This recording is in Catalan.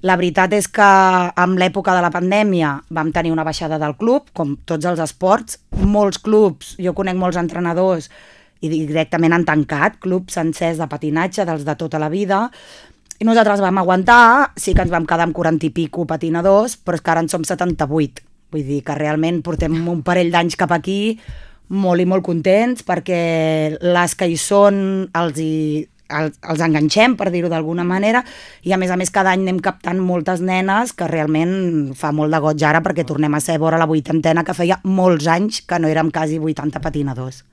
La veritat és que amb l'època de la pandèmia vam tenir una baixada del club, com tots els esports. Molts clubs, jo conec molts entrenadors i directament han tancat clubs sencers de patinatge, dels de tota la vida, i nosaltres vam aguantar, sí que ens vam quedar amb 40 i pico patinadors, però és que ara en som 78. Vull dir que realment portem un parell d'anys cap aquí molt i molt contents perquè les que hi són els enganxem, per dir-ho d'alguna manera, i a més cada any anem captant moltes nenes que realment fa molt de goig ara perquè tornem a ser vora la vuitantena, que feia molts anys que no érem quasi 80 patinadors.